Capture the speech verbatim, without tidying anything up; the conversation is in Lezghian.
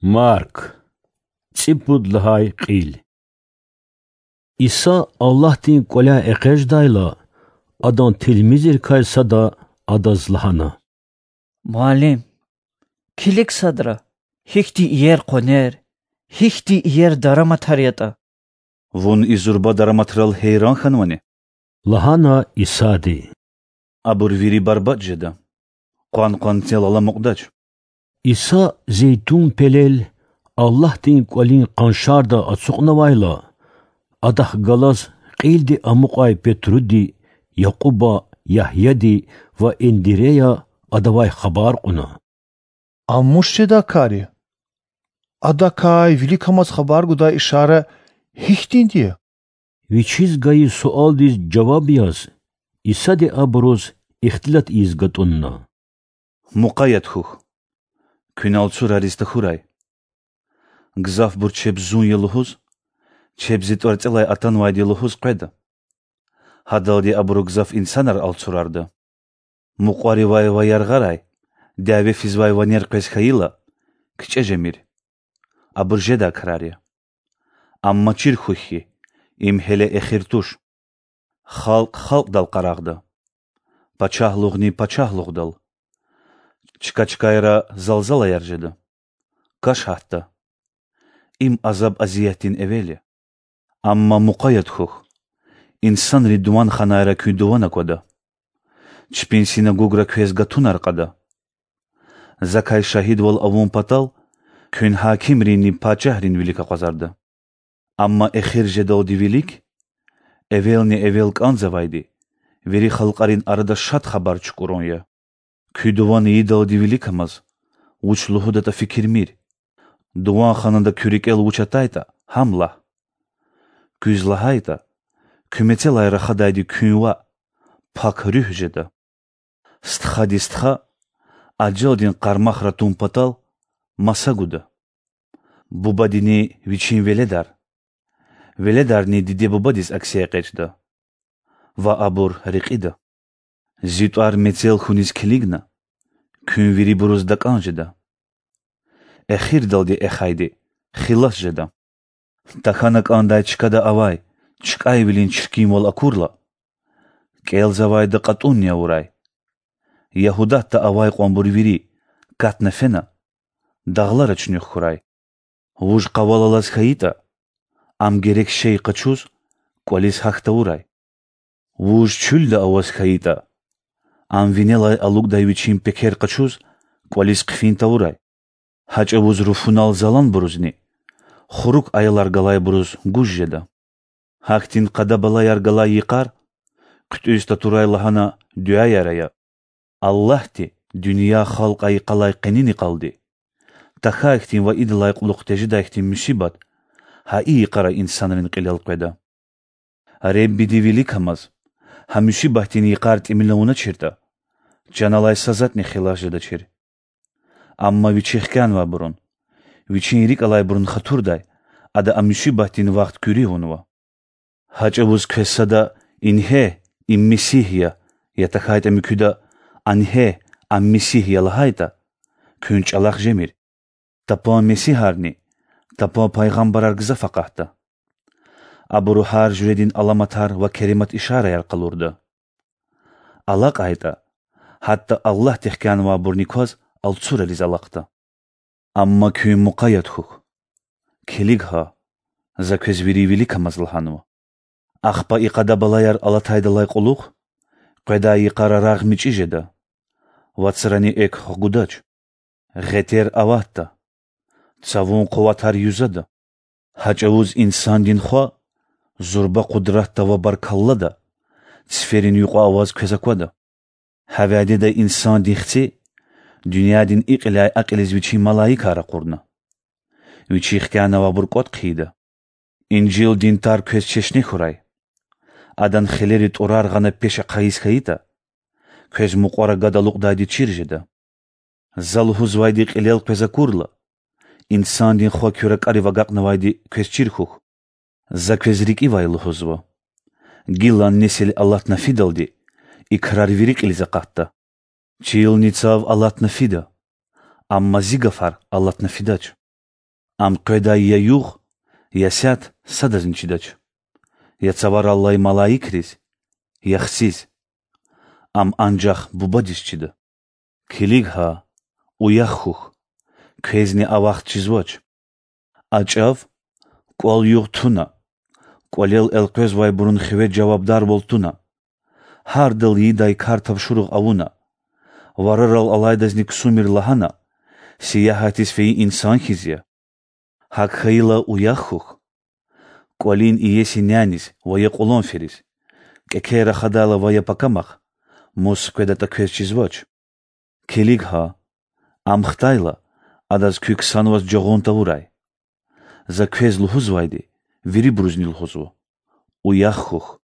Марк, цӀипуд лагьай кьил. Иса Аллагьдин кӀваляй экъечӀдайла, Адан тилмизрикай сада Адаз лагьана: Муаллим, килиг садра, гьихьтин иер къванер, гьихьтин иер дараматар ятӀа. Вун и зурба дараматрал гьейран хьанвани? лагьана Исади. Абур вири барбатӀ жеда, къван-къванцел аламукьдач. Иса Зейтун пелел, Аллагьдин кӀвалин къаншарда ацукьнавайла, Адахъ галаз кьилди амукьай Петруди, Якьуба, Ягьяди ва Индирея Адавай хабар кьуна: Ам вуч жедай кар я? Адакай виликамаз хабар гудай ишара гьихьтинди я? Вичиз гайи суалдиз жаваб яз, Исади абуруз ихтилат ийиз гатӀунна: Мукъаят хьухь, куьн алцурариз тахьурай. Гзафбур чеб Зун я лугьуз, чеб Зи тӀварцӀелай атанвайди я лугьуз къведа. Гьадалди абуру гзаф инсанар алцурарда. Мукьваривай ва яргъарай дяве физвай ванер къвез хьайила, кичӀе жемир. Абур жедай крар я. Амма чир хьухь хьи, им гьеле эхир туш. Халкь халкьдал къарагъда, пачагьлугъни пачагьлугъдал. Чка чкайра залзалаяр жеда. Каш гьатда. Им азаб-азиятдин эвел я. Амма мукъаят хьухь, инсанри дуван ханайра куь дуван аквада, чпин синагогра квез гатунар кьада. Закай шагьидвал авун патал куьн гьакимринни пачагьрин вилик акъвазарда. Амма эхир жедалди вилик эвелни-эвел кӀанзавайди вири халкьарин арада Шад Хабар чукӀурун я. Куь дуван ийидалди виликамаз, вуч лугьудатӀа фикирмир. Дуван ханада куь рикӀел вуч атайтӀа, гьам лагь. Куьз лагьайтӀа, куь мецелай рахадайди куьн ваъ, Пак Руьгь жеда. Стхади стха ажалдин къармахра тун патал маса гуда: бубадини вичин веледар, веледарни диде-бубадиз акси экъечӀда, ва абур рекьида. Зи тӀвар мецел хьуниз килигна, куьн вирибуруз дакӀан жеда. Эхирдалди эхайди хилас жеда. Тахьана кӀандай чкада авай чкӀайвилин чиркинвал акурла, кӀелзавайда кьатӀунни авурай. Ягьудатда авай кьванбур вири, катна фена, дагълара чуьнуьх хьурай. Вуж къавал алаз хьайитӀа, ам герек шей къачуз, кӀвализ гьахь тавурай. Вуж чуьлда аваз хьайитӀа, ам винелай алукӀдай вичин пекер къачуз, кӀвализ хъфин тавурай. Гьа чӀавуз руфунал заланбурузни хурук аялар галайбуруз гуж жеда. Гьахьтин къада-балаяр галай йикъар хъуьтӀуьз татурай лагьана дуьаяр ая: Аллагьди дуьнья халкь айикъалай къенин йикъалди тахьай хьтин ва идалай кьулухъ тежедай хьтин мусибат гьа и йикъара инсанрин кьилел къведа. Реббиди виликамаз гьа мусибатдин йикъар тӀимил авуначиртӀа, чан алай са затӀни хилас жедачир. Амма Вичи хкянавайбурун, Вичин рикӀ алайбурун хатурдай Ада а мусибатдин вахт куьруь авунва. Гьа чӀавуз квез сада: Ингье, им Месигь я! я тахьайтӀа муькуьда: Ангье, ам Месигь я! лагьайтӀа, куьн чӀалахъ жемир. Тапан месигьарни тапан пайгъамбарар гзаф акъатда. Абуру гьар жуьредин аламатар ва керемат ишараяр къалурда. АлакьайтӀа, гьатта Аллагьди хкянавайбурни кваз алцурариз алахъда. Амма куьн мукъаят хьухь, килиг гьа, За квез вири виликамаз лагьанва. Ахпа и къада-балаяр алатайдалай кьулухъ къведай йикъара рагъ мичӀи жеда, вацрани экв гъудач, гъетер аватда, цавун къуватар юзада. Гьа чӀавуз Инсандин Хва зурба къудратда ва баркаллада циферин юкьва аваз квез аквада. Гьа вядеда Инсандин Хци дуьньядин и кьиляй а кьилиз вичин малаикар ракъурна. Вичи хкянавайбур кӀватӀ хъийида. Инжилдин тар квез чешне хьурай. Адан хилери тӀурар гъана пеш ахъайиз хьайитӀа, квез мукьвара гад алукьдайди чир жеда. За лугьузвайди кьилел къвез акурла, Инсандин Хва куь ракӀарив агакьнавайди квез чир хьухь. За квез рикӀивай лугьузва: гилан несил алатна фидалди и крар вири кьилиз акъатда. Чилни цав алатна фида, амма Зи гафар алатна фидач. Ам къведай я югъ, я сят садазни чидач, я цаварал алай малаикриз, я хциз. Ам анжах Бубадиз чида. Килиг гьа, уях хьухь, квезни а вахт чизвач. А чӀав кӀвал-югъ туна, кӀвалел элкъвезвайбурун хиве жавабдарвал туна, гьардал ийидай кар тапшуругъ авуна, варарал алайдазни ксумир лагьана, сиягьатиз фейи инсан хьиз я. ГьакӀ хьайила, уях хьухь, кӀвалин иеси няниз ва я кьулан фериз, кӀекер рахадайла ва я пакамахъ, мус къведатӀа квез чизвач. Килиг гьа, ам хтайла, адаз куь ксанваз жагъун тавурай. За квез лугьузвайди вирибурузни лугьузва: уях хьухь.